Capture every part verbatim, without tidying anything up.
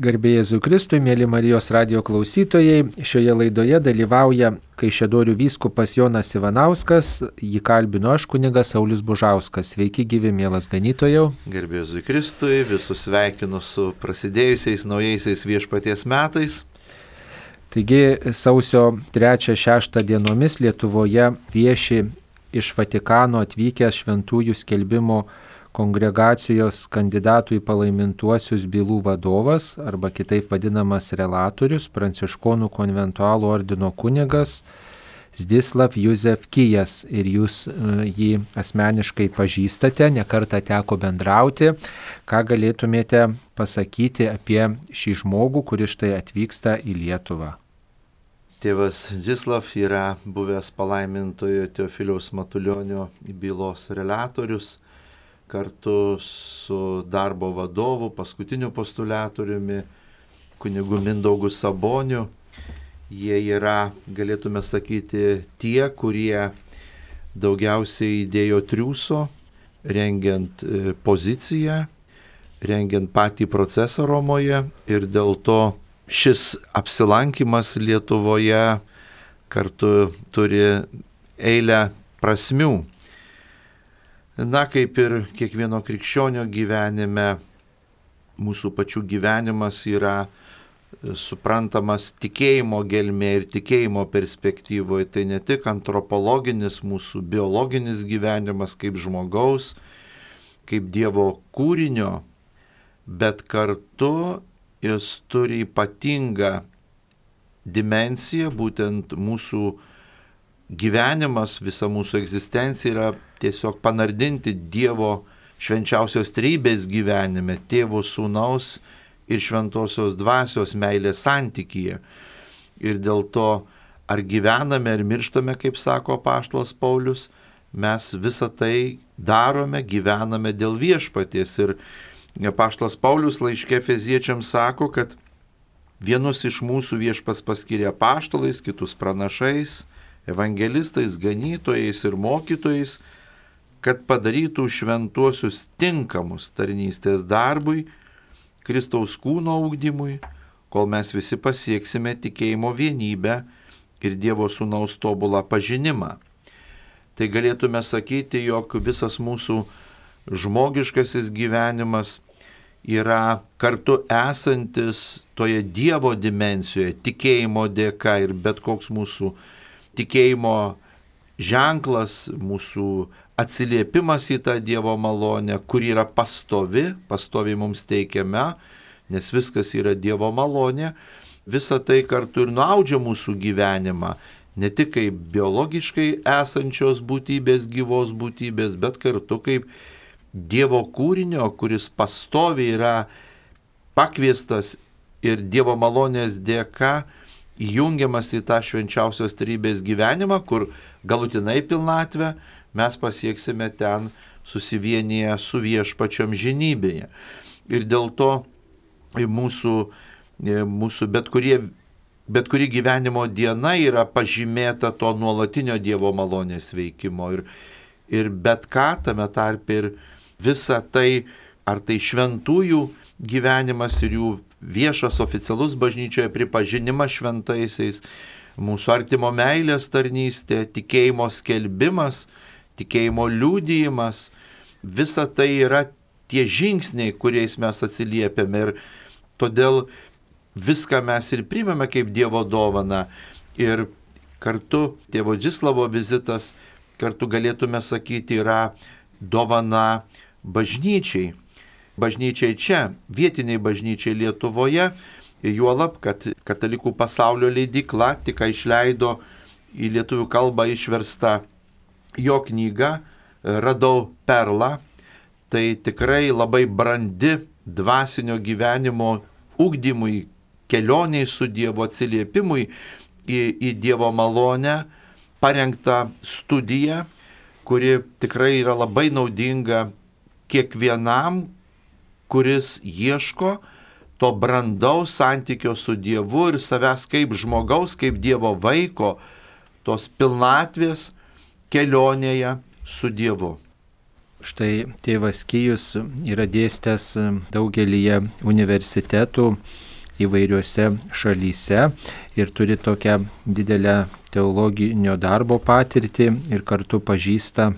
Garbė Jėzui Kristui, mėly Marijos radijo klausytojai, šioje laidoje dalyvauja Kaišiadorių vyskupas Jonas Ivanauskas, jį kalbino aš, kunigas Saulius Bužauskas. Sveiki gyvi, mielas ganytojau. Garbė Jėzui Kristui, visus sveikinu su prasidėjusiais naujaisiais viešpaties metais. Taigi sausio trečią šeštą dienomis Lietuvoje vieši iš Vatikano atvykęs šventųjų skelbimo kongregacijos kandidatų į palaimintuosius bylų vadovas, arba kitaip vadinamas relatorius, pranciškonų konventualų ordino kunigas Zdzislav Józef Kijas. Ir jūs jį asmeniškai pažįstate, nekartą teko bendrauti. Ką galėtumėte pasakyti apie šį žmogų, kuris štai atvyksta į Lietuvą? Tėvas Zdzislav yra buvęs palaimintojo Teofiliaus Matulionio bylos relatorius, kartu su darbo vadovu, paskutiniu postuliatoriumi, kunigu Mindaugu Saboniu. Jie yra, galėtume sakyti, tie, kurie daugiausiai įdėjo triūso, rengiant poziciją, rengiant patį procesą Romoje, ir dėl to šis apsilankimas Lietuvoje kartu turi eilę prasmių. Na, kaip ir kiekvieno krikščionio gyvenime, mūsų pačių gyvenimas yra suprantamas tikėjimo gelmė ir tikėjimo perspektyvoje. Tai ne tik antropologinis mūsų biologinis gyvenimas kaip žmogaus, kaip Dievo kūrinio, bet kartu jis turi ypatingą dimensiją, būtent mūsų gyvenimas, visa mūsų egzistencija yra tiesiog panardinti Dievo švenčiausios trejybės gyvenime, Tėvo, Sūnaus ir Šventosios Dvasios meilės santykyje. Ir dėl to, ar gyvename, ar mirštame, kaip sako apaštalas Paulius, mes visą tai darome, gyvename dėl viešpaties. Ir apaštalas Paulius laiške Efeziečiams sako, kad vienus iš mūsų viešpats paskyrė apaštalais, kitus pranašais, evangelistais, ganytojais ir mokytojais, kad padarytų šventuosius tinkamus tarnystės darbui, Kristaus kūno ugdymui, kol mes visi pasieksime tikėjimo vienybę ir Dievo Sūnaus tobulą pažinimą. Tai galėtume sakyti, jog visas mūsų žmogiškasis gyvenimas yra kartu esantis toje Dievo dimensijoje, tikėjimo dėka, ir bet koks mūsų tikėjimo ženklas, mūsų atsiliepimas į tą Dievo malonę, kur yra pastovi, pastovi mums teikiame, nes viskas yra Dievo malonė, visa tai kartu ir nuaudžia mūsų gyvenimą, ne tik kaip biologiškai esančios būtybės, gyvos būtybės, bet kartu kaip Dievo kūrinio, kuris pastovi yra pakviestas ir Dievo malonės dėka įjungiamas į tą švenčiausios trejybės gyvenimą, kur galutinai pilnatvę mes pasieksime ten susivienyje su viešpačiom žinybėje. Ir dėl to mūsų, mūsų bet, kurie, bet kuri gyvenimo diena yra pažymėta to nuolatinio Dievo malonės veikimo. Ir, ir bet ką tame tarp ir visa tai, ar tai šventųjų gyvenimas ir jų viešas oficialus bažnyčioje pripažinimas šventaisiais, mūsų artimo meilės tarnystė, tikėjimo skelbimas, tikėjimo liudijimas, visa tai yra tie žingsniai, kuriais mes atsiliepiame, ir todėl viską mes ir priimame kaip Dievo dovaną. Ir kartu tėvo Zdzislavo vizitas, kartu galėtume sakyti, yra dovana bažnyčiai. Bažnyčiai čia, vietiniai bažnyčiai Lietuvoje, juolab, kad Katalikų pasaulio leidykla tik išleido į lietuvių kalbą išverstą jo knygą Radau perlą. Tai tikrai labai brandi dvasinio gyvenimo ugdymui, kelioniai su Dievo, atsiliepimui į, į Dievo malonę parengta studija, kuri tikrai yra labai naudinga kiekvienam, kuris ieško to brandaus santykio su Dievu ir savęs kaip žmogaus, kaip Dievo vaiko, tos pilnatvės kelionėje su Dievu. Štai tėvas Kyjus yra dėstęs daugelyje universitetų įvairiuose šalyse ir turi tokią didelę teologinio darbo patirtį ir kartu pažįsta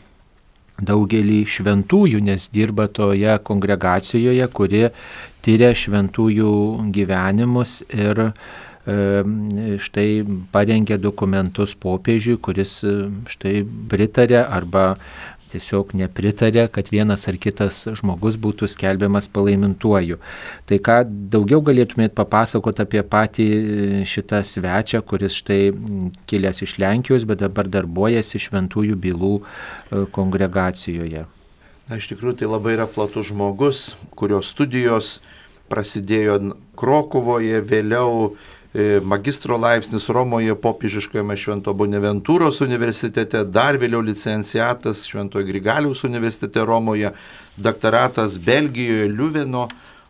daugelį šventųjų, nes dirba toje kongregacijoje, kuri tyria šventųjų gyvenimus ir štai parengė dokumentus popiežiui, kuris štai pritarė arba tiesiog nepritarė, kad vienas ar kitas žmogus būtų skelbiamas palaimintuoju. Tai ką daugiau galėtumėt papasakoti apie patį šitą svečią, kuris štai kilęs iš Lenkijos, bet dabar darbuojasi Šventųjų bylų kongregacijoje? Na, iš tikrųjų, tai labai yra platus žmogus, kurio studijos prasidėjo Krokuvoje, vėliau magistro laipsnis Romoje popiežiškojame Švento Bonaventūros universitete, dar vėliau licenciatas Šventojo Grigaliaus universitete Romoje, doktoratas Belgijoje Liuveno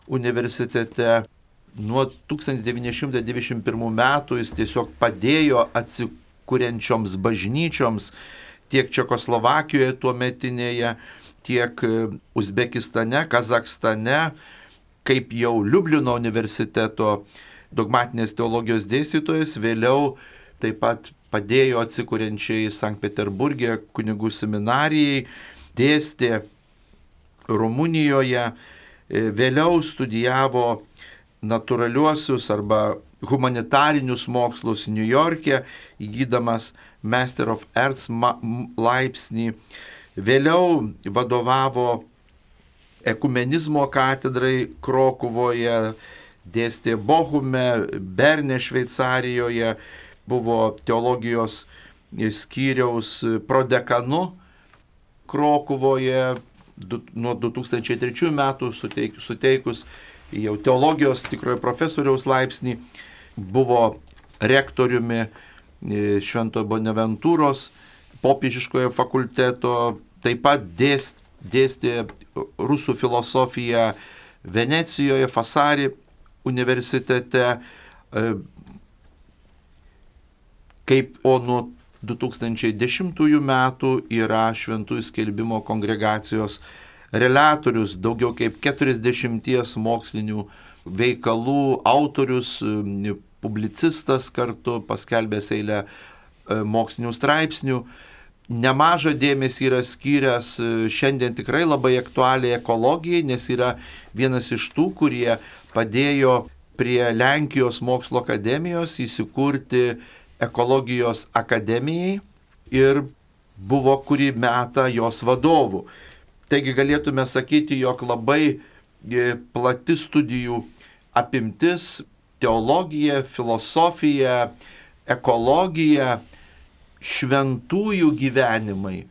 universitete. Nuo tūkstantis devyni šimtai devyniasdešimt pirmų metų jis tiesiog padėjo atsikuriančioms bažnyčioms tiek Čekoslovakijoje tuometinėje, tiek Uzbekistane, Kazakstane, kaip jau Liublino universiteto dogmatinės teologijos dėstytojas, vėliau taip pat padėjo atsikuriančiai Sankt Peterburge kunigų seminarijai, dėstė Rumunijoje, vėliau studijavo natūraliuosius arba humanitarinius mokslus New York'e, įgydamas Master of Arts laipsnį, vėliau vadovavo ekumenizmo katedrai Krokuvoje, dėstė Bochume, Berne Šveicarijoje, buvo teologijos skyriaus prodekanu Krokuvoje, du, nuo du tūkstančiai trečiųjų metų suteik, suteikus jau teologijos tikrojo profesoriaus laipsnį, buvo rektoriumi Švento Bonaventūros popiežiškojo fakulteto, taip pat dėst, dėstė rusų filosofiją Venecijoje, Fasari universitete, kaip o nuo du tūkstančiai dešimtųjų metų yra Šventųjų skelbimo kongregacijos relatorius, daugiau kaip keturiasdešimties mokslinių veikalų autorius, publicistas kartu, paskelbęs eilę mokslinių straipsnių. Nemažą dėmesį yra skyręs šiandien tikrai labai aktualiai ekologijai, nes yra vienas iš tų, kurie padėjo prie Lenkijos mokslo akademijos įsikurti ekologijos akademijai ir buvo kurį metą jos vadovų. Taigi galėtume sakyti, jog labai plati studijų apimtis, teologija, filosofija, ekologija, šventųjų gyvenimai.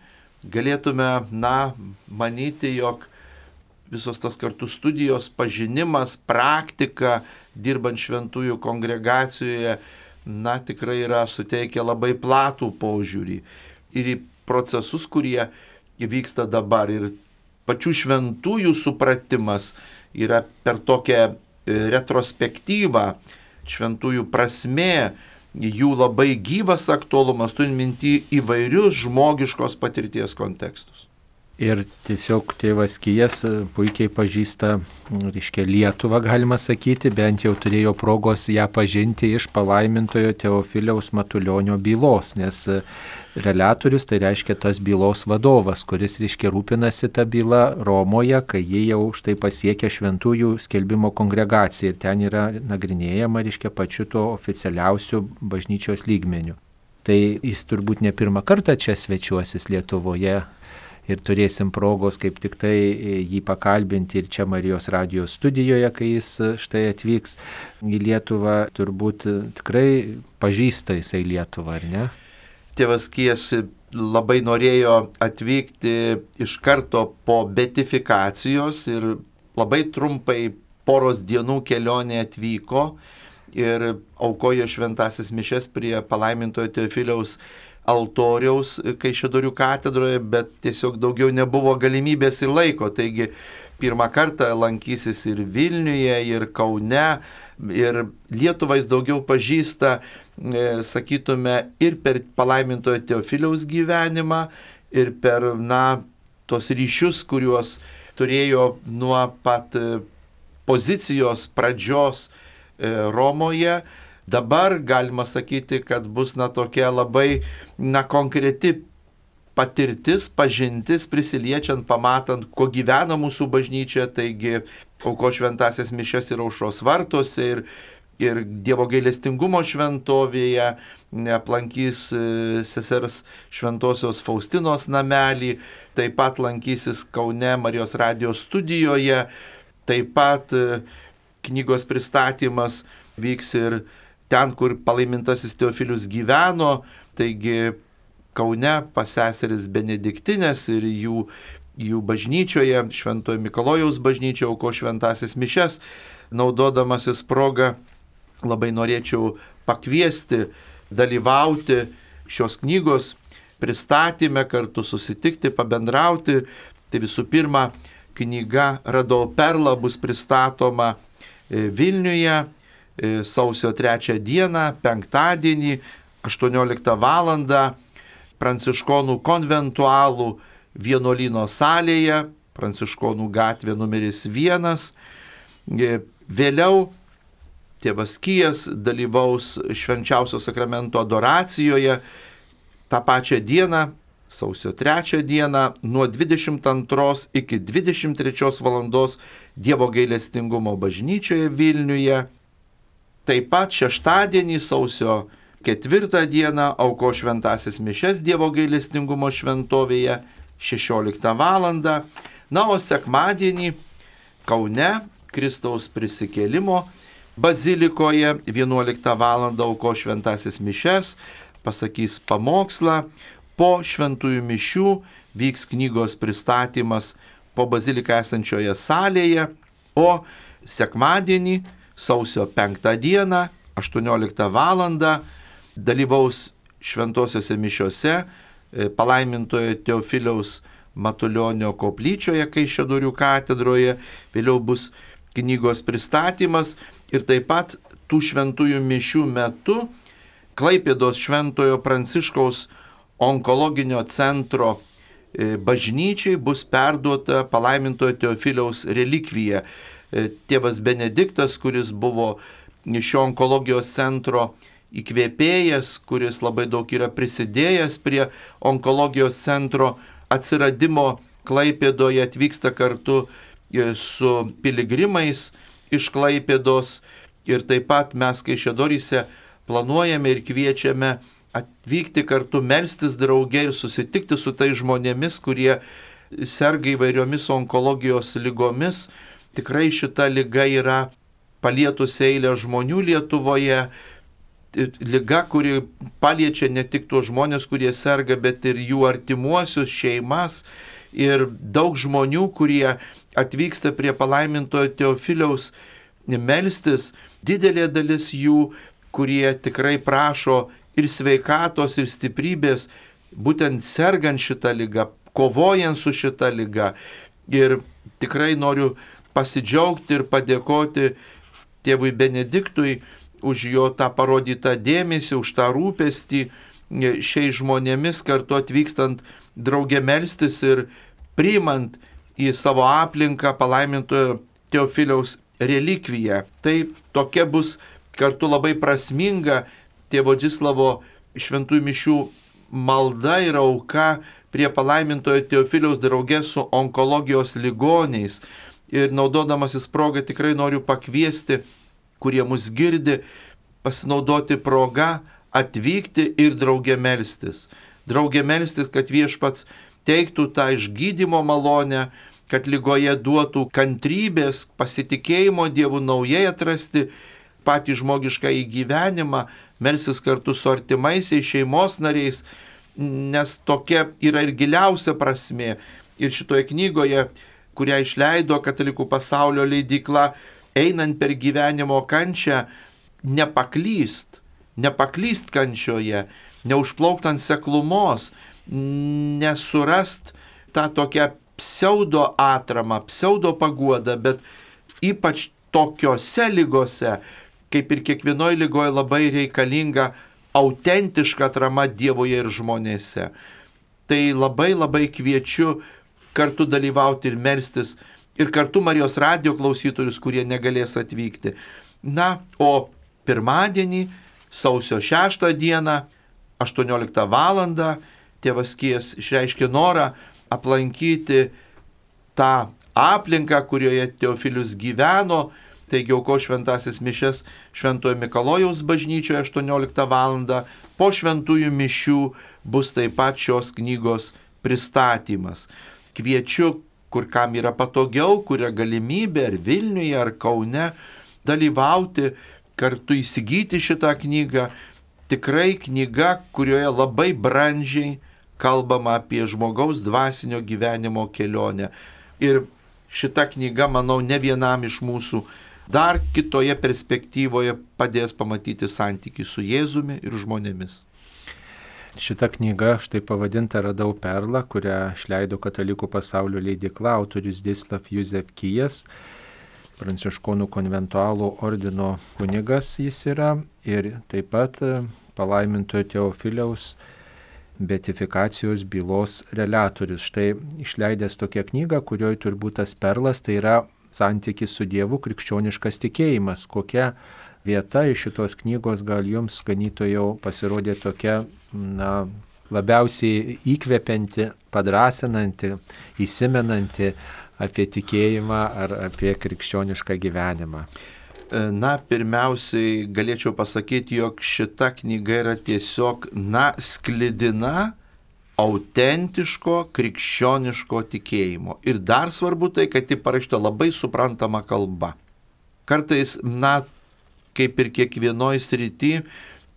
Galėtume, na, manyti, jog visos tas kartu studijos, pažinimas, praktika, dirbant šventųjų kongregacijoje, na, tikrai yra suteikę labai platų požiūrį ir į procesus, kurie vyksta dabar. Ir pačių šventųjų supratimas yra per tokią retrospektyvą, šventųjų prasmė, jų labai gyvas aktualumas, turint minty įvairius žmogiškos patirties kontekstus. Ir tiesiog tėvas Kyjas puikiai pažįsta, reiškia, Lietuvą, galima sakyti, bent jau turėjo progos ją pažinti iš palaimintojo Teofiliaus Matulionio bylos, nes relatorius tai reiškia tas bylos vadovas, kuris, reiškia, rūpinasi tą bylą Romoje, kai jie jau štai pasiekia Šventųjų skelbimo kongregaciją ir ten yra nagrinėjama, reiškia, pačiu to oficialiausiu bažnyčios lygmeniu. Tai jis turbūt ne pirmą kartą čia svečiuosis Lietuvoje. Ir turėsim progos kaip tik tai jį pakalbinti ir čia Marijos radijos studijoje, kai jis štai atvyks į Lietuvą, turbūt tikrai pažįsta jisai Lietuvą, ar ne? Tėvas Kyjas labai norėjo atvykti iš karto po beatifikacijos ir labai trumpai poros dienų kelionė atvyko ir aukojo šventasis mišias prie palaimintojo Teofiliaus altoriaus Kaišiadorių katedroje, bet tiesiog daugiau nebuvo galimybės ir laiko. Taigi pirmą kartą lankysis ir Vilniuje, ir Kaune, ir Lietuvą jis daugiau pažįsta, sakytume, ir per palaimintojo Teofiliaus gyvenimą, ir per, na, tos ryšius, kuriuos turėjo nuo pat pozicijos pradžios Romoje. Dabar galima sakyti, kad bus na tokia labai na konkreti patirtis, pažintis, prisiliečiant, pamatant, kuo gyvena mūsų bažnyčia, taigi aukos šventasias mišias ir aušros vartuose ir, ir Dievo gailestingumo šventovėje, aplankys sesers šventosios Faustinos namelį, taip pat lankysis Kaune Marijos radijos studijoje, taip pat knygos pristatymas vyks ir ten, kur palaimintasis Teofilius gyveno, taigi Kaune pas seseris Benediktinės ir jų, jų bažnyčioje, Šventojo Mikalojaus bažnyčioje aukos šventasias mišias. Naudodamasis progą labai norėčiau pakviesti, dalyvauti šios knygos pristatyme, kartu susitikti, pabendrauti. Tai visų pirma, knyga Radau perlą bus pristatoma Vilniuje sausio trečią dieną, penktadienį, aštuonioliktą valandą. Pranciškonų konventualų vienuolyno salėje, Pranciškonų gatvė numeris vienas. Vėliau tėvas Kijas dalyvaus švenčiausio sakramento adoracijoje tą pačią dieną, sausio trečią dieną, nuo dvidešimt antros iki dvidešimt trečios valandos Dievo gailestingumo bažnyčioje Vilniuje. Taip pat šeštadienį, sausio ketvirtą dieną, aukos šventasias mišias Dievo gailestingumo šventovėje šešioliktą valandą. Na, o sekmadienį Kaune Kristaus prisikėlimo bazilikoje vienuoliktą valandą aukos šventasias mišias, pasakys pamokslą. Po šventųjų mišių vyks knygos pristatymas po baziliką esančioje salėje, o sekmadienį, sausio penktą dieną, aštuonioliktą valandą, dalyvaus šventosiose mišiose palaimintojo Teofiliaus Matulionio koplyčioje Kaišiadorių katedroje, vėliau bus knygos pristatymas ir taip pat tų šventųjų mišių metu Klaipėdos Šventojo Pranciškaus onkologinio centro bažnyčiai bus perduota palaimintojo Teofiliaus relikvija. Tėvas Benediktas, kuris buvo šio onkologijos centro įkvėpėjas, kuris labai daug yra prisidėjęs prie onkologijos centro atsiradimo Klaipėdoje, atvyksta kartu su piligrimais iš Klaipėdos ir taip pat mes Kaišiadoryse planuojame ir kviečiame atvykti kartu, melstis drauge ir susitikti su tai žmonėmis, kurie serga įvairiomis onkologijos ligomis. Tikrai šita liga yra palietusi eilę žmonių Lietuvoje, liga, kuri paliečia ne tik tuos žmonės, kurie serga, bet ir jų artimuosius, šeimas ir daug žmonių, kurie atvyksta prie palaimintojo Teofiliaus melstis, didelė dalis jų, kurie tikrai prašo ir sveikatos, ir stiprybės, būtent sergant šitą ligą, kovojant su šitą ligą. Ir tikrai noriu pasidžiaugti ir padėkoti tėvui Benediktui už jo tą parodytą dėmesį, už tą rūpestį šiais žmonėmis, kartu atvykstant draugė melstis ir priimant į savo aplinką palaimintojo Teofiliaus relikviją. Tai tokia bus kartu labai prasminga tėvo Džislavo šventųjų mišių malda ir auka prie palaimintojo Teofiliaus drauge su onkologijos ligoniais. Ir naudodamasis progą tikrai noriu pakviesti, kurie mus girdi, pasinaudoti progą, atvykti ir drauge melstis. Drauge melstis, kad Viešpats teiktų tą išgydymo malonę, kad ligoje duotų kantrybės, pasitikėjimo Dievu naujai atrasti patį žmogišką įgyvenimą, melsis kartu su artimaisiais, šeimos nariais, nes tokia yra ir giliausia prasmė. Ir šitoje knygoje, kurią išleido Katalikų pasaulio leidykla, einant per gyvenimo kančią, nepaklyst, nepaklyst kančioje, neužplaukt ant seklumos, nesurast tą tokią pseudo atramą, pseudo paguodą, bet ypač tokiose ligose, kaip ir kiekvienoje ligoje labai reikalinga autentiška atrama Dievoje ir žmonėse. Tai labai labai kviečiu kartu dalyvauti ir melstis, ir kartu Marijos radijo klausytojus, kurie negalės atvykti. Na, o pirmadienį, sausio šeštą dieną, aštuonioliktą valandą, tėvas Kijas išreiškė norą aplankyti tą aplinką, kurioje Teofilius gyveno, taigi auko šventasis mišias Šventojo Mikalojaus bažnyčioje aštuonioliktą valandą. Po šventųjų mišių bus taip pat šios knygos pristatymas. Kviečiu, kur kam yra patogiau, kur yra galimybė, ar Vilniuje, ar Kaune, dalyvauti, kartu įsigyti šitą knygą. Tikrai knyga, kurioje labai brandžiai kalbama apie žmogaus dvasinio gyvenimo kelionę. Ir šita knyga, manau, ne vienam iš mūsų dar kitoje perspektyvoje padės pamatyti santykį su Jėzumi ir žmonėmis. Šita knyga, štai pavadinta Radau perlą, kurią išleido Katalikų pasaulio leidykla, autorius Zdzislav Józef Kijas, pranciškonų konventualų ordino kunigas jis yra, ir taip pat palaimintojo Teofiliaus beatifikacijos bylos reliatorius. Štai išleidęs tokią knygą, kurioje turbūt tas perlas tai yra santykis su Dievu, krikščioniškas tikėjimas. Kokia vieta iš šitos knygos gal jums, ganytojau, pasirodė tokia, na, labiausiai įkvepianti, padrasinanti, įsimenanti apie tikėjimą ar apie krikščionišką gyvenimą? Na, pirmiausiai galėčiau pasakyti, jog šita knyga yra tiesiog, na, sklidina autentiško krikščioniško tikėjimo. Ir dar svarbu tai, kad ji parašyta labai suprantama kalba. Kartais, na, kaip ir kiekvienoj srity,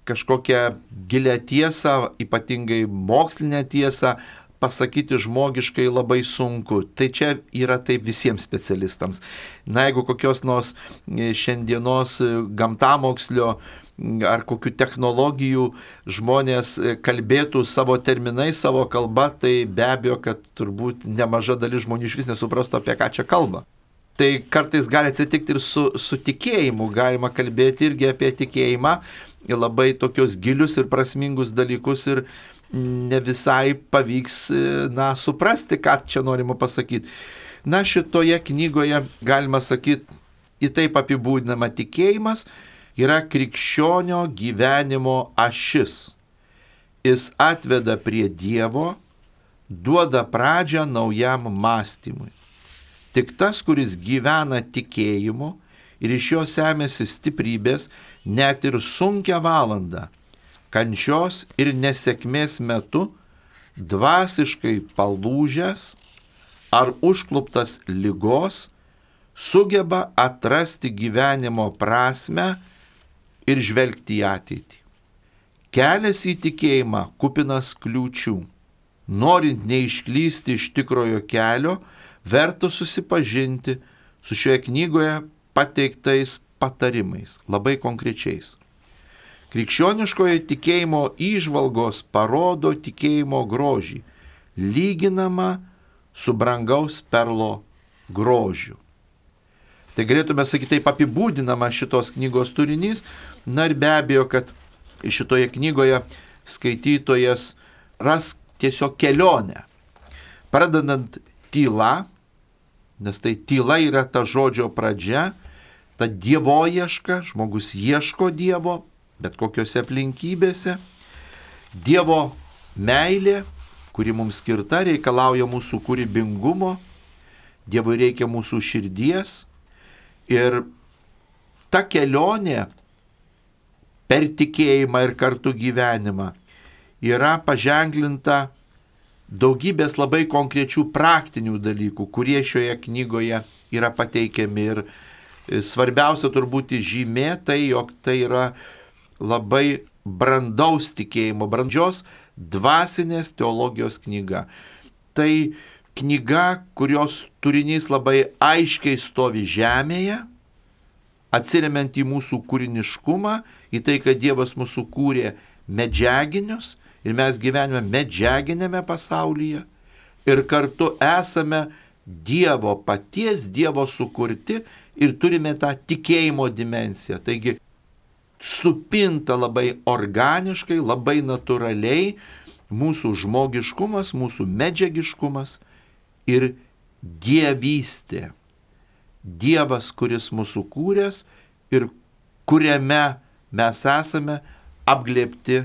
kažkokią gilią tiesą, ypatingai mokslinę tiesą, pasakyti žmogiškai labai sunku. Tai čia yra taip visiems specialistams. Na, jeigu kokios nors šiandienos gamtamokslio ar kokių technologijų žmonės kalbėtų savo terminais, savo kalba, tai be abejo, kad turbūt nemaža dalis žmonių iš vis nesuprastų, apie ką čia kalba. Tai kartais gali atsitikti ir su, su tikėjimu, galima kalbėti irgi apie tikėjimą, labai tokios gilius ir prasmingus dalykus, ir ne visai pavyks, na, suprasti, ką čia norima pasakyti. Na, šitoje knygoje galima sakyti, į taip apibūdinama tikėjimas yra krikščionio gyvenimo ašis. Jis atveda prie Dievo, duoda pradžią naujam mąstymui. Tik tas, kuris gyvena tikėjimu ir iš jo semėsi stiprybės, net ir sunkią valandą, kančios ir nesėkmės metu, dvasiškai palūžęs ar užkluptas ligos, sugeba atrasti gyvenimo prasmę ir žvelgti į ateitį. Kelias į tikėjimą kupinas kliūčių. Norint neišklysti iš tikrojo kelio, verta susipažinti su šioje knygoje pateiktais patarimais, labai konkrečiais. Krikščioniškoje tikėjimo įžvalgos parodo tikėjimo grožį, lyginama su brangaus perlo grožiu. Tai galėtume sakyti, taip apibūdinama šitos knygos turinys. Na ir be abejo, kad šitoje knygoje skaitytojas ras tiesiog kelionę. Pradedant tyla, nes tai tyla yra ta žodžio pradžia, ta dievoieška, žmogus ieško Dievo, bet kokiose aplinkybėse. Dievo meilė, kuri mums skirta, reikalauja mūsų kūrybingumo, Dievui reikia mūsų širdies. Ir ta kelionė per tikėjimą ir kartu gyvenimą yra paženklinta daugybės labai konkrečių praktinių dalykų, kurie šioje knygoje yra pateikiami. Ir svarbiausia turbūt žymė tai, jog tai yra labai brandaus tikėjimo, brandžios dvasinės teologijos knyga. Tai knyga, kurios turinys labai aiškiai stovi žemėje, atsiremiant į mūsų kūriniškumą, į tai, kad Dievas mūsų kūrė medžiaginius ir mes gyvename medžiaginėme pasaulyje ir kartu esame Dievo, paties Dievo sukurti ir turime tą tikėjimo dimensiją. Taigi supinta labai organiškai, labai natūraliai mūsų žmogiškumas, mūsų medžiagiškumas ir dievystė. Dievas, kuris mūsų kūręs ir kuriame mes esame apglėbti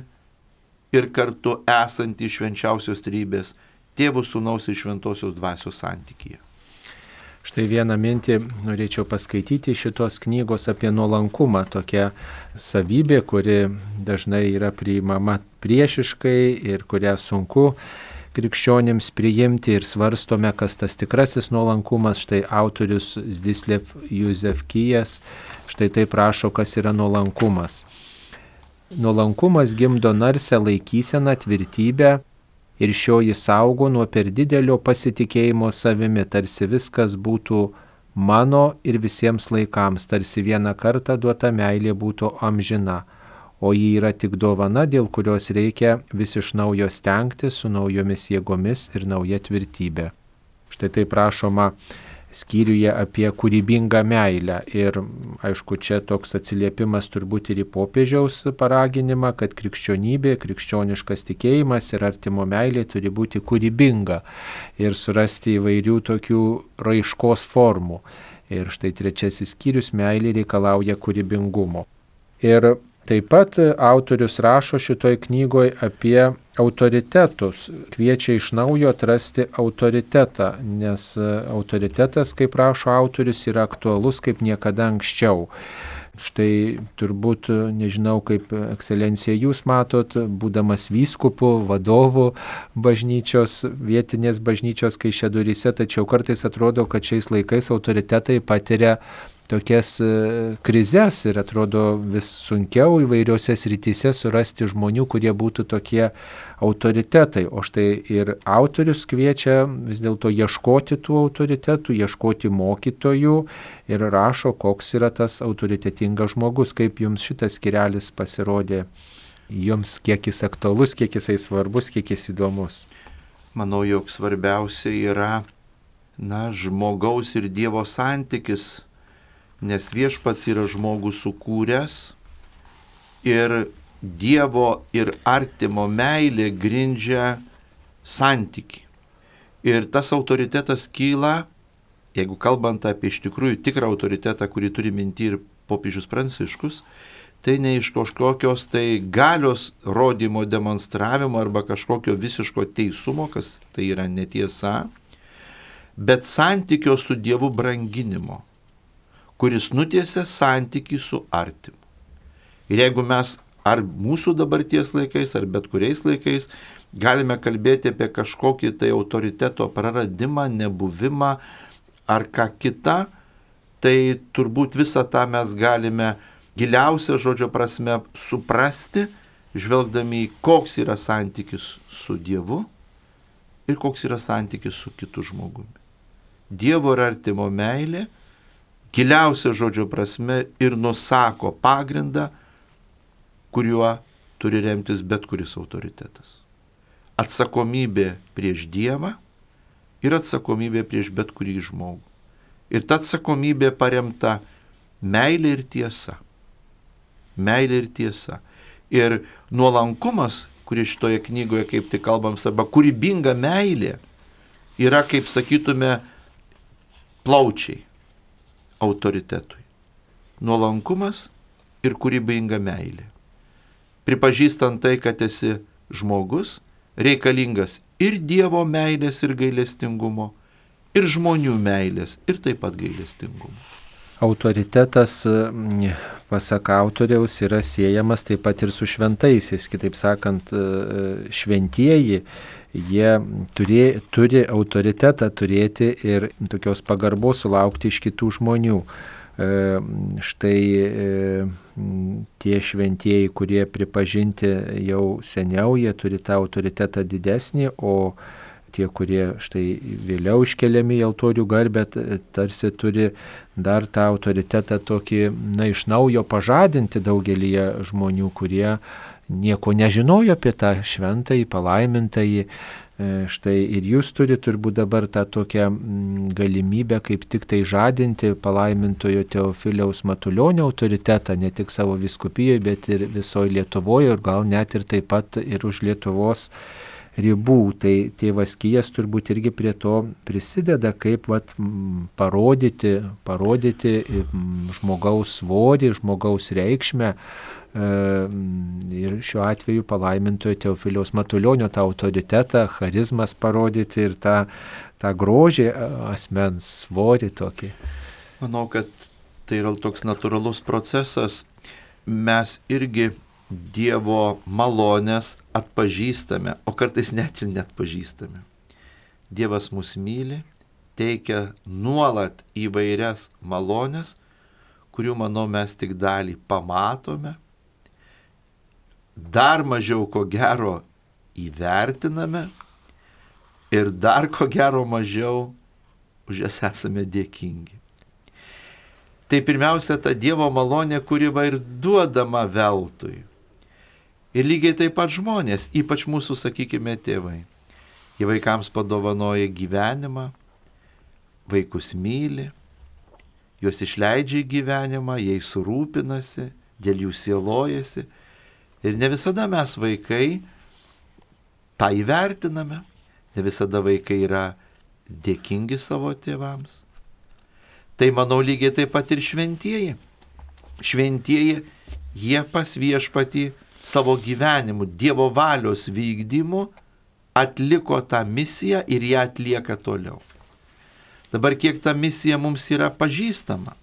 ir kartu esantį švenčiausios trybės Tėvų, Sūnaus ir Šventosios Dvasios santykyje. Štai vieną mintį norėčiau paskaityti šitos knygos apie nuolankumą. Tokia savybė, kuri dažnai yra priimama priešiškai ir kurią sunku krikščionims priimti ir svarstome, kas tas tikrasis nuolankumas. Štai autorius Zdislev Juzefkijas štai taip rašo, kas yra nuolankumas. Nuolankumas gimdo narsę laikyseną, tvirtybę ir šioji saugo nuo per didelio pasitikėjimo savimi, tarsi viskas būtų mano ir visiems laikams, tarsi vieną kartą duota meilė būtų amžina, o ji yra tik dovana, dėl kurios reikia vis iš naujo stengtis su naujomis jėgomis ir nauja tvirtybė. Štai taip rašoma skyriuje apie kūrybingą meilę. Ir aišku, čia toks atsiliepimas turbūt ir į popiežiaus paraginimą, kad krikščionybė, krikščioniškas tikėjimas ir artimo meilė turi būti kūrybinga ir surasti įvairių tokių raiškos formų. Ir štai trečiasis skyrius - meilė reikalauja kūrybingumo. Ir taip pat autorius rašo šitoj knygoje apie autoritetus, kviečia iš naujo atrasti autoritetą, nes autoritetas, kaip rašo autorius, yra aktualus kaip niekada anksčiau. Štai turbūt, nežinau, kaip ekscelencija jūs matot, būdamas vyskupu, vadovu bažnyčios, vietinės bažnyčios Kaišiadoryse, tačiau kartais atrodo, kad šiais laikais autoritetai patiria tokias krizes ir atrodo vis sunkiau įvairiose srityse surasti žmonių, kurie būtų tokie autoritetai. O štai ir autorius kviečia vis dėlto ieškoti tų autoritetų, ieškoti mokytojų ir rašo, koks yra tas autoritetingas žmogus. Kaip jums šitas skyrelis pasirodė, jums kiek jis aktualus, kiek jisai svarbus, kiek jis įdomus? Manau, jog svarbiausia yra, na, žmogaus ir Dievo santykis. Nes viešpats yra žmogų sukūręs ir Dievo ir artimo meilė grindžia santykį. Ir tas autoritetas kyla, jeigu kalbant apie iš tikrųjų tikrą autoritetą, kurį turi minti ir popiežius Pranciškus, tai ne iš kažkokios tai galios rodymo, demonstravimo arba kažkokio visiško teisumo, kas tai yra netiesa, bet santykio su Dievu branginimo, kuris nutiesia santykį su artimu. Ir jeigu mes ar mūsų dabarties laikais, ar bet kuriais laikais galime kalbėti apie kažkokį tai autoriteto praradimą, nebuvimą ar ką kitą, tai turbūt visą tą mes galime giliausia žodžio prasme suprasti, žvelgdami į koks yra santykis su Dievu ir koks yra santykis su kitu žmogumi. Dievo ir artimo meilė giliausia žodžio prasme ir nusako pagrindą, kuriuo turi remtis bet kuris autoritetas. Atsakomybė prieš Dievą ir atsakomybė prieš bet kurį žmogų. Ir ta atsakomybė paremta meilė ir tiesa. Meilė ir tiesa. Ir nuolankumas, kurį šitoje knygoje kaip tik kalbam, arba kūrybinga meilė, yra, kaip sakytume, plaučiai autoritetui. Nuolankumas ir kūrybinga meilė. Pripažįstant tai, kad esi žmogus, reikalingas ir Dievo meilės ir gailestingumo, ir žmonių meilės ir taip pat gailestingumo. Autoritetas, pasak autoriaus, yra siejamas taip pat ir su šventaisiais. Kitaip sakant, šventieji, jie turi, turi autoritetą turėti ir tokios pagarbos sulaukti iš kitų žmonių. Štai tie šventieji, kurie pripažinti jau seniau, jie turi tą autoritetą didesnį, o tie, kurie štai vėliau iškeliami į altorių garbę, tarsi turi dar tą autoritetą tokį, na, iš naujo pažadinti daugelį žmonių, kurie nieko nežinojo apie tą šventąjį, palaimintąjį. Štai ir jūs turite turbūt dabar tą tokią galimybę kaip tik tai žadinti palaimintojo Teofiliaus Matulionio autoritetą, ne tik savo vyskupijoje, bet ir visoje Lietuvoje ir gal net ir taip pat ir už Lietuvos ribų. Tai tėvas Kijas turbūt irgi prie to prisideda, kaip vat, m, parodyti, parodyti m, žmogaus svorį, žmogaus reikšmę. Ir šiuo atveju palaimintojo Teofiliaus Matulionio tą autoritetą, charizmas parodyti ir tą, tą grožį asmens svorį tokį. Manau, kad tai yra toks natūralus procesas. Mes irgi Dievo malonės atpažįstame, o kartais net ir net pažįstame. Dievas mus myli, teikia nuolat įvairias malonės, kurių, manau, mes tik dalį pamatome, dar mažiau ko gero įvertiname ir dar ko gero mažiau už jas esame dėkingi. Tai pirmiausia ta Dievo malonė, kuri va ir duodama veltui. Ir lygiai taip pat žmonės, ypač mūsų, sakykime, tėvai. Jie vaikams padovanoja gyvenimą, vaikus myli, juos išleidžia į gyvenimą, jais surūpinasi, dėl jų sielojasi. Ir ne visada mes vaikai tą įvertiname, ne visada vaikai yra dėkingi savo tėvams. Tai manau lygiai taip pat ir šventieji. Šventieji, jie pas viešpatį savo gyvenimu, Dievo valios vykdymu atliko tą misiją ir ją atlieka toliau. Dabar kiek ta misija mums yra pažįstama,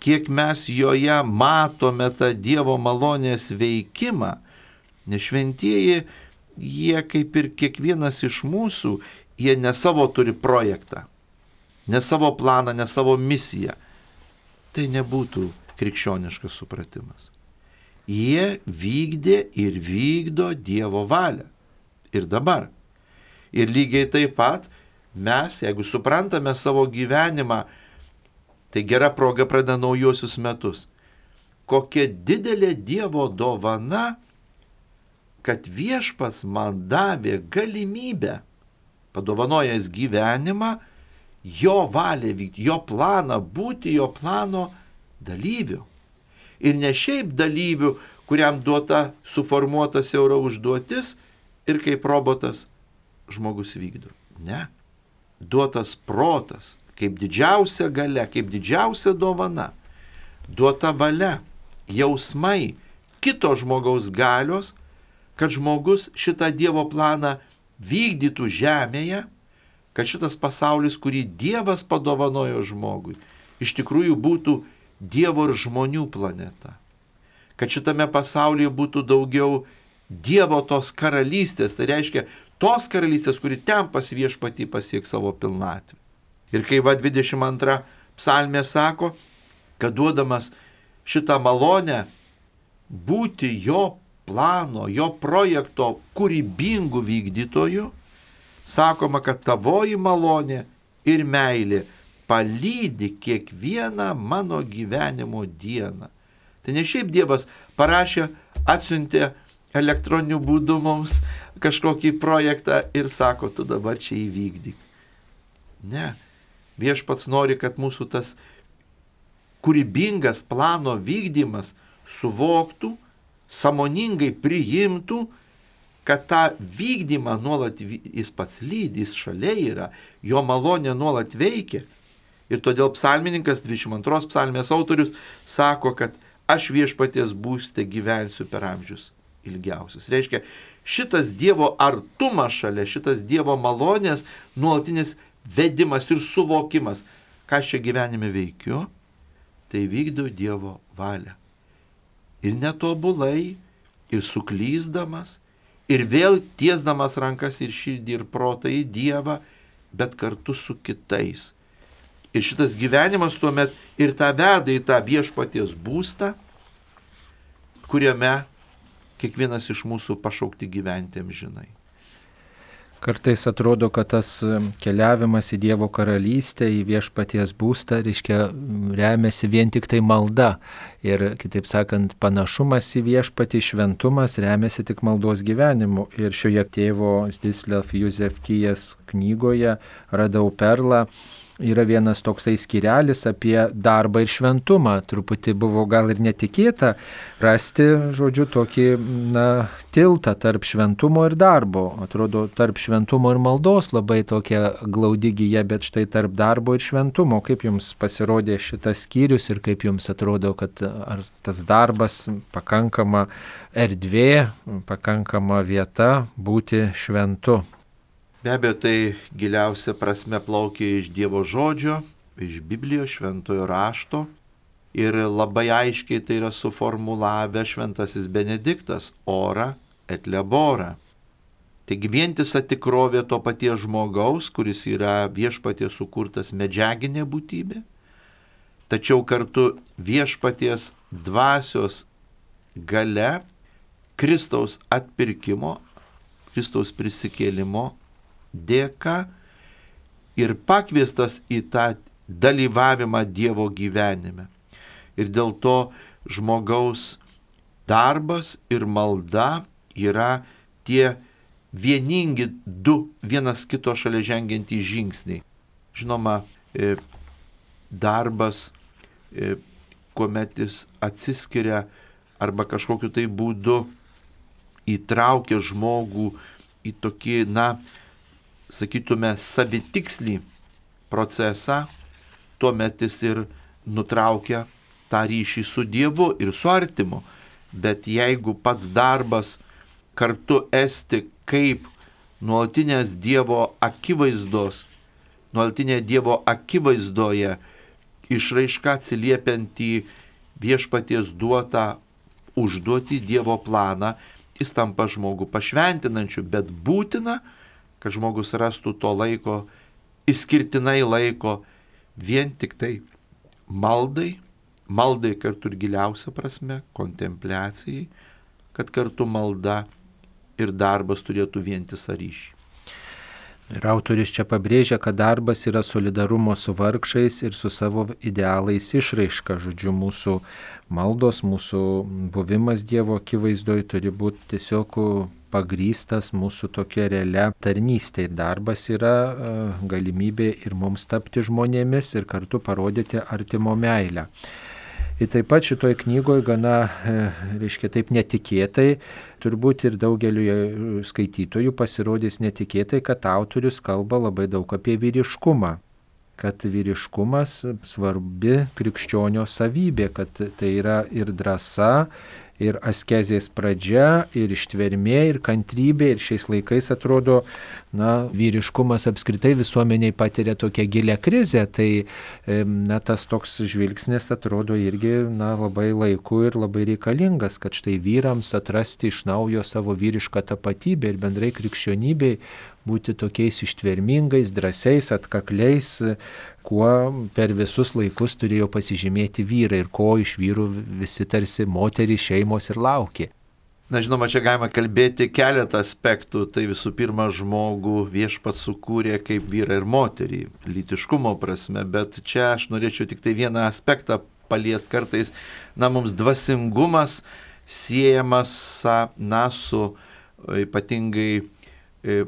kiek mes joje matome tą Dievo malonės veikimą, nes šventieji, jie kaip ir kiekvienas iš mūsų, jie ne savo turi projektą, ne savo planą, ne savo misiją. Tai nebūtų krikščioniškas supratimas. Jie vykdė ir vykdo Dievo valią. Ir dabar. Ir lygiai taip pat mes, jeigu suprantame savo gyvenimą, tai gera proga pradeda naujosius metus. Kokia didelė Dievo dovana, kad viešpats man davė galimybę, padovanojęs gyvenimą, jo valią vykti, jo planą, būti jo plano dalyviu. Ir ne šiaip dalyviu, kuriam duota suformuota siaura užduotis ir kaip robotas žmogus vykdo. Ne. Duotas protas, kaip didžiausia galia, kaip didžiausia dovana, duota valia, jausmai, kito žmogaus galios, kad žmogus šitą Dievo planą vykdytų žemėje, kad šitas pasaulis, kurį Dievas padovanojo žmogui, iš tikrųjų būtų Dievo ir žmonių planeta. Kad šitame pasaulyje būtų daugiau Dievo tos karalystės, tai reiškia tos karalystės, kuri ten pas viešpatį pasieks savo pilnatvę. Ir kai va dvidešimt antra psalmė sako, kad duodamas šitą malonę būti jo plano, jo projekto kūrybingų vykdytojų, sakoma, kad tavoji malonė ir meilė palydi kiekvieną mano gyvenimo dieną. Tai ne šiaip Dievas parašė, atsiuntė elektroniniu būdu mums kažkokį projektą ir sako, tu dabar čia įvykdyk. Ne. Viešpats nori, kad mūsų tas kūrybingas plano vykdymas suvoktų, sąmoningai priimtų, kad tą vykdymą nuolat jis pats lydi, jis šalia yra, jo malonė nuolat veikia. Ir todėl psalmininkas, dvidešimt antros psalmės autorius, sako, kad aš viešpaties būste gyvensiu per amžius ilgiausius. Reiškia, šitas Dievo artumas šalia, šitas Dievo malonės nuolatinis vedimas ir suvokimas, ką aš čia gyvenime veikiu, tai vykdau Dievo valią. Ir netobulai, ir suklysdamas, ir vėl tiesdamas rankas ir širdį ir protą į Dievą, bet kartu su kitais. Ir šitas gyvenimas tuomet ir tą veda į tą viešpaties būstą, kuriame kiekvienas iš mūsų pašaukti gyventi amžinai. Kartais atrodo, kad tas keliavimas į Dievo karalystę, į viešpaties būstą, reiškia, remiasi vien tik tai malda. Ir, kitaip sakant, panašumas į viešpatį, šventumas remiasi tik maldos gyvenimu. Ir šioje tėvo Zdzislav Józef Kijas knygoje radau perlą, yra vienas toksai skyrelis apie darbą ir šventumą. Truputį buvo gal ir netikėta rasti, žodžiu, tokį, na, tiltą tarp šventumo ir darbo. Atrodo, tarp šventumo ir maldos labai tokia glaudi gija, bet štai tarp darbo ir šventumo. Kaip jums pasirodė šitas skyrius ir kaip jums atrodo, kad ar tas darbas pakankama erdvė, pakankama vieta būti šventu? Be abejo, tai giliausia prasme plaukia iš Dievo žodžio, iš Biblijos šventojo rašto ir labai aiškiai tai yra suformulavę šventasis Benediktas ora et labora. Taigi vientisa tikrovė to paties žmogaus, kuris yra viešpaties sukurtas medžiaginė būtybė, tačiau kartu viešpaties dvasios gale Kristaus atpirkimo, Kristaus prisikėlimo dėka ir pakviestas į tą dalyvavimą Dievo gyvenime. Ir dėl to žmogaus darbas ir malda yra tie vieningi du vienas kito šalia žengiantys žingsniai. Žinoma, darbas, kuomet jis atsiskiria arba kažkokiu tai būdu įtraukia žmogų į tokį, na, sakytume, savitikslį procesą, tuomet jis ir nutraukia tą ryšį su Dievu ir su artimu. Bet jeigu pats darbas kartu esti kaip nuolatinės Dievo akivaizdos, nuolatinė Dievo akivaizdoje išraiška atsiliepiant į viešpaties duotą užduotį Dievo planą, jis tampa žmogų pašventinančiu, bet būtina, kad žmogus rastų to laiko, išskirtinai laiko vien tik tai maldai, maldai kartu ir giliausia prasme, kontempliacijai, kad kartu malda ir darbas turėtų vientisą ryšį. Ir autorius čia pabrėžia, kad darbas yra solidarumo su vargšais ir su savo idealais išraiška. Žodžiu, mūsų maldos, mūsų buvimas Dievo akivaizdoje turi būti tiesiog pagrystas mūsų tokia realia tarnystė. Darbas yra galimybė ir mums tapti žmonėmis ir kartu parodyti artimo meilę. Ir taip pat šitoj knygoje gana, reiškia, taip netikėtai, turbūt ir daugeliu skaitytojų pasirodys netikėtai, kad autorius kalba labai daug apie vyriškumą. Kad vyriškumas svarbi krikščionio savybė, kad tai yra ir drąsa, ir askezės pradžia, ir ištvermė, ir kantrybė, ir šiais laikais atrodo, na, vyriškumas apskritai visuomeniai patiria tokią gilią krizę, tai na, tas toks žvilgsnis atrodo irgi, na, labai laiku ir labai reikalingas, kad štai vyrams atrasti iš naujo savo vyrišką tapatybę ir bendrai krikščionybei būti tokiais ištvermingais, drąsiais, atkakliais, kuo per visus laikus turėjo pasižymėti vyrai ir ko iš vyrų visi tarsi moterys, šeimos ir laukė. Na, žinoma, čia galima kalbėti keletą aspektų. Tai visų pirma, žmogų viešpats sukūrė kaip vyrą ir moterį, lytiškumo prasme, bet čia aš norėčiau tik tai vieną aspektą paliesti kartais. Na, mums dvasingumas siejamas, na, su ypatingai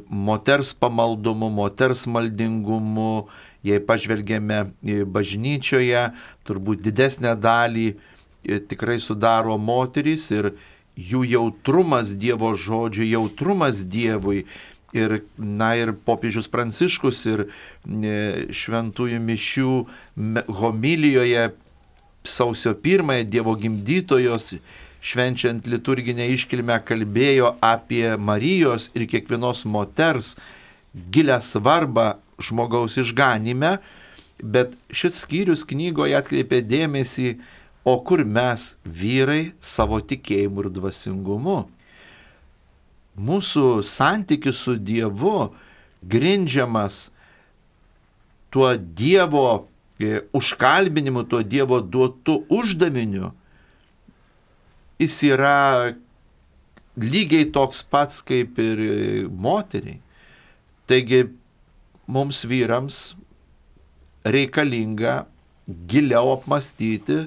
moters pamaldumu, moters maldingumu. Jei pažvelgėme bažnyčioje, turbūt didesnę dalį tikrai sudaro moterys ir jų jautrumas Dievo žodžiui, jautrumas Dievui. Ir, na, ir popiežius Pranciškus ir šventųjų mišių homilijoje sausio pirmąją Dievo gimdytojos švenčiant liturginę iškilmę kalbėjo apie Marijos ir kiekvienos moters gilę svarbą žmogaus išganime, bet šis skyrius knygoje atkreipė dėmesį, o kur mes, vyrai, savo tikėjimu ir dvasingumu. Mūsų santykis su Dievu grindžiamas tuo Dievo užkalbinimu, tuo Dievo duotu uždaviniu. Jis yra lygiai toks pats kaip ir moteriai. Taigi mums vyrams reikalinga giliau apmastyti,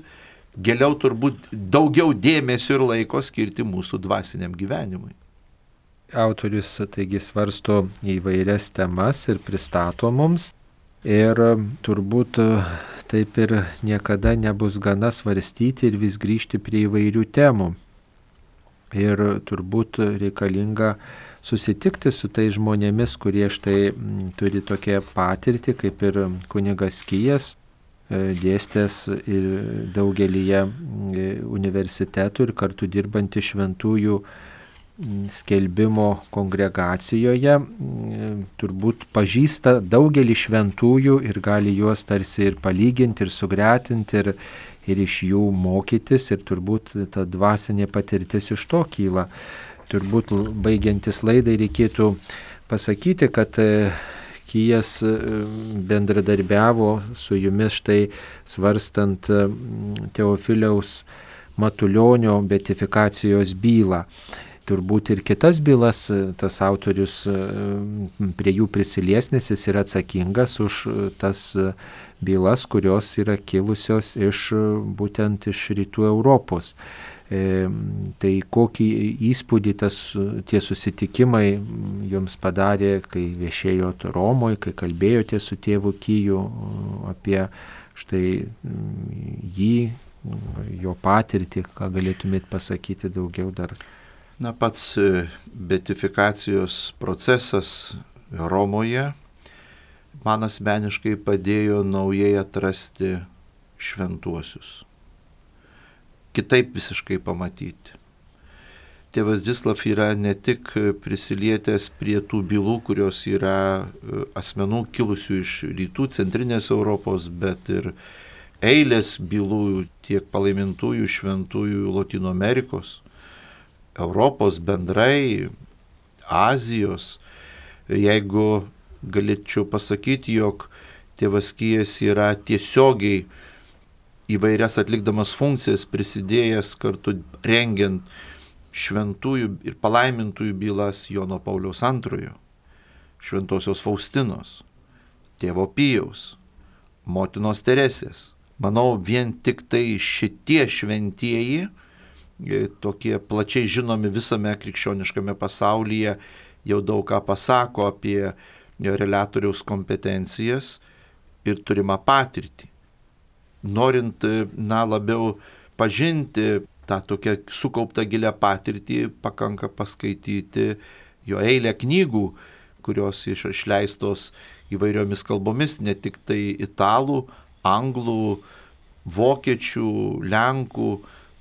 giliau turbūt daugiau dėmesio ir laiko skirti mūsų dvasiniam gyvenimui. Autorius taigi svarsto įvairias temas ir pristato mums. Ir turbūt taip ir niekada nebus gana svarstyti ir vis grįžti prie įvairių temų. Ir turbūt reikalinga susitikti su tais žmonėmis, kurie štai turi tokią patirtį, kaip ir kunigas Kijas, dėstęs ir daugelyje universitetų ir kartu dirbantį šventųjų skelbimo kongregacijoje, turbūt pažįsta daugelį šventųjų ir gali juos tarsi ir palyginti, ir sugretinti, ir, ir iš jų mokytis, ir turbūt ta dvasinė patirtis iš to kyla. Turbūt baigiantis laidai reikėtų pasakyti, kad Kijas bendradarbiavo su jumis štai svarstant Teofiliaus Matulionio beatifikacijos bylą. Turbūt ir kitas bylas tas autorius prie jų prisilies, nes jis yra atsakingas už tas bylas, kurios yra kilusios iš būtent iš rytų Europos. E, tai kokį įspūdį tas, tie susitikimai jums padarė, kai viešėjot Romoje, kai kalbėjote su tėvu Kiju apie štai jį, jo patirtį, ką galėtumėt pasakyti daugiau dar? Na, pats beatifikacijos procesas Romoje man asmeniškai padėjo naujai atrasti šventuosius. Kitaip visiškai pamatyti. Tėvas Zdzislav yra ne tik prisilietęs prie tų bylų, kurios yra asmenų kilusių iš rytų, centrinės Europos, bet ir eilės bylų tiek palaimintųjų šventųjų Lotynų Amerikos, Europos bendrai, Azijos. Jeigu galėčiau pasakyti, jog tėvas Kijas yra tiesiogiai įvairias atlikdamas funkcijas prisidėjęs kartu rengiant šventųjų ir palaimintųjų bylas Jono Pauliaus antrojo, Šventosios Faustinos, tėvo Pijaus, motinos Teresės. Manau, vien tik tai šitie šventieji, tokie plačiai žinomi visame krikščioniškame pasaulyje, jau daug ką pasako apie reliatoriaus kompetencijas ir turimą patirtį. Norint, na, labiau pažinti tą tokią sukauptą gilią patirtį, pakanka paskaityti jo eilę knygų, kurios išleistos įvairiomis kalbomis, ne tik tai italų, anglų, vokiečių, lenkų,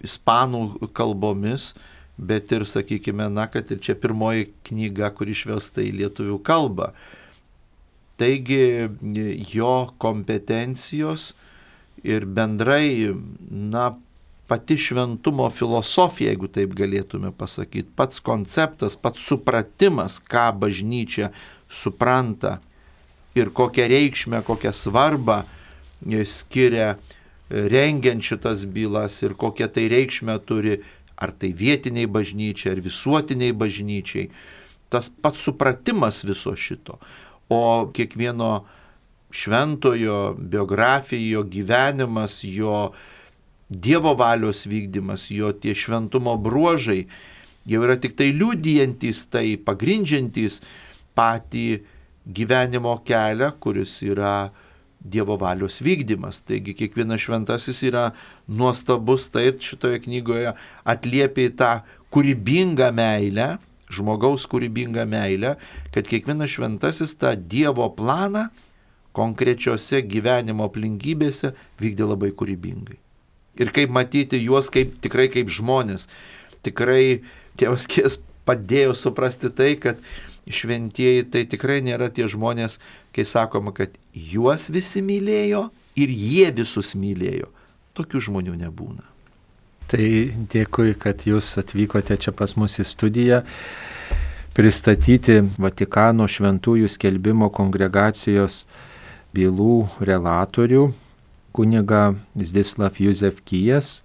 ispanų kalbomis, bet ir, sakykime, na, kad ir čia pirmoji knyga, kur išversta į lietuvių kalbą. Taigi jo kompetencijos ir bendrai, na, pati šventumo filosofija, jeigu taip galėtume pasakyti, pats konceptas, pats supratimas, ką bažnyčia supranta ir kokią reikšmę, kokią svarbą skiria rengiant šitas bylas ir kokią tai reikšmę turi, ar tai vietiniai bažnyčiai, ar visuotiniai bažnyčiai. Tas pats supratimas viso šito. O kiekvieno šventojo biografija, jo gyvenimas, jo Dievo valios vykdymas, jo tie šventumo bruožai jau yra tik tai liudijantys, tai pagrindžiantys patį gyvenimo kelią, kuris yra Dievo valios vykdymas. Taigi kiekvienas šventasis yra nuostabus, tai šitoje knygoje atliepia tą kūrybingą meilę, žmogaus kūrybingą meilę, kad kiekvienas šventasis tą Dievo planą konkrečiose gyvenimo aplinkybėse vykdė labai kūrybingai. Ir kaip matyti juos kaip, tikrai kaip žmonės. Tikrai tėvas Kijas padėjo suprasti tai, kad šventieji tai tikrai nėra tie žmonės, kai sakoma, kad juos visi mylėjo ir jie visus mylėjo. Tokių žmonių nebūna. Tai dėkui, kad jūs atvykote čia pas mus į studiją pristatyti Vatikano šventųjų skelbimo kongregacijos bylų relatorių kunigą Zdzislav Józef Kijas,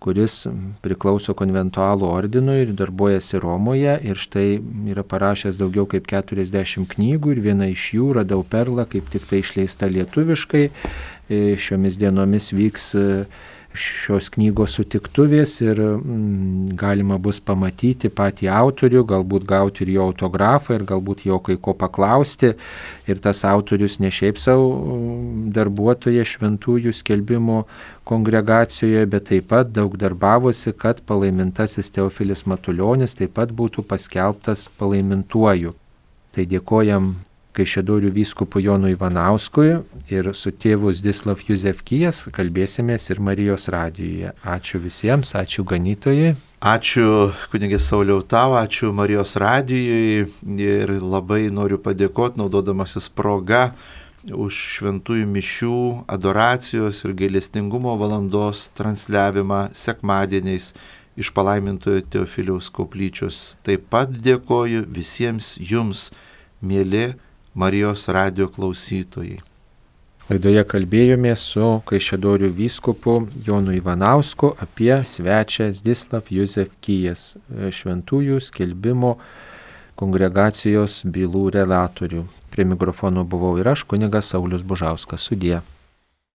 kuris priklauso konventualų ordinui ir darbuojasi Romoje ir štai yra parašęs daugiau kaip keturiasdešimt knygų ir viena iš jų Radau perlą, kaip tik tai išleista lietuviškai. Šiomis dienomis vyks šios knygos sutiktuvės ir mm, galima bus pamatyti patį autorių, galbūt gauti ir jo autografą ir galbūt jo kai ko paklausti. Ir tas autorius ne šiaip savo darbuotoja šventųjų skelbimo kongregacijoje, bet taip pat daug darbavosi, kad palaimintasis Teofilis Matuljonis taip pat būtų paskelbtas palaimintuoju. Tai dėkojam Kaišiadorių vyskupui Jonui Ivanauskui ir su tėvu Zdzislav Józefkijas kalbėsimės ir Marijos radijuje. Ačiū visiems, ačiū ganytojai. Ačiū kunigė Sauliau tau, ačiū Marijos radijui ir labai noriu padėkoti, naudodamasis proga, už šventųjų mišių, adoracijos ir gailestingumo valandos transliavimą sekmadieniais iš palaimintojo Teofiliaus koplyčios. Taip pat dėkoju visiems jums, mieli Marijos radijo klausytojai. Laidoje kalbėjomės su Kaišiadorių vyskupu Jonu Ivanausku apie svečią Zdzislav Józefkijas, šventųjų skelbimo kongregacijos bylų relatorių. Prie mikrofono buvau ir aš, kunigas Saulius Bužauskas. Sudie.